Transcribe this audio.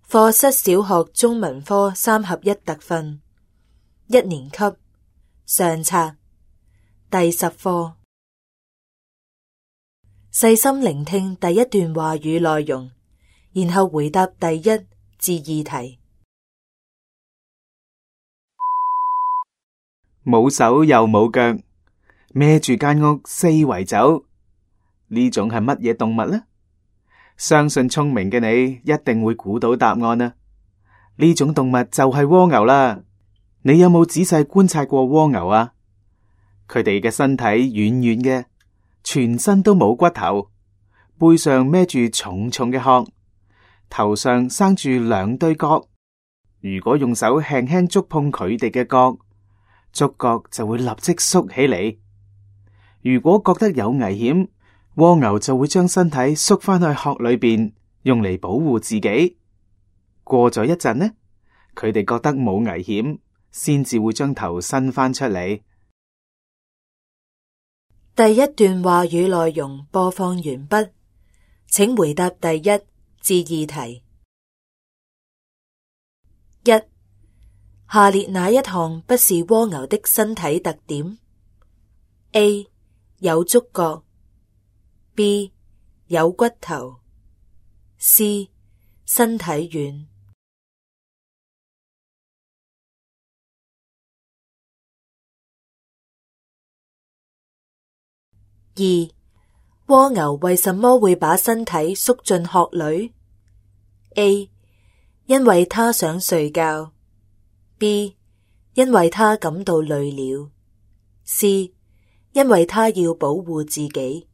課室小學中文科3合1特訓，1年級上冊第10課。細心聆聽第一段話語內容，然後回答第1至2題。冇手又冇腳，孭住間屋四圍走，呢種係乜嘢動物呢？相信聰明嘅你一定會估到答案啦。呢種動物就係蝸牛啦。你有冇仔細觀察過蝸牛啊？佢哋嘅身體軟軟嘅，全身都冇骨頭，背上孭住重重嘅殼，頭上生住2對角。如果用手輕輕觸碰佢哋嘅角，觸角就會立即縮起嚟。如果覺得有危險，蝸牛就會將身體縮翻去殼裏邊，用嚟保護自己。過咗一陣呢，佢哋覺得冇危險，先至會將頭伸翻出嚟。第一段話語內容播放完畢，請回答第1至2題。1. 下列哪一項不是蝸牛的身體特點？ A. 有觸角， B. 有骨頭， C. 身體軟。2. 蝸牛為什麼會把身體縮進殼裏？ A. 因為它想睡覺， B. 因為它感到累了， C. 因為它要保護自己。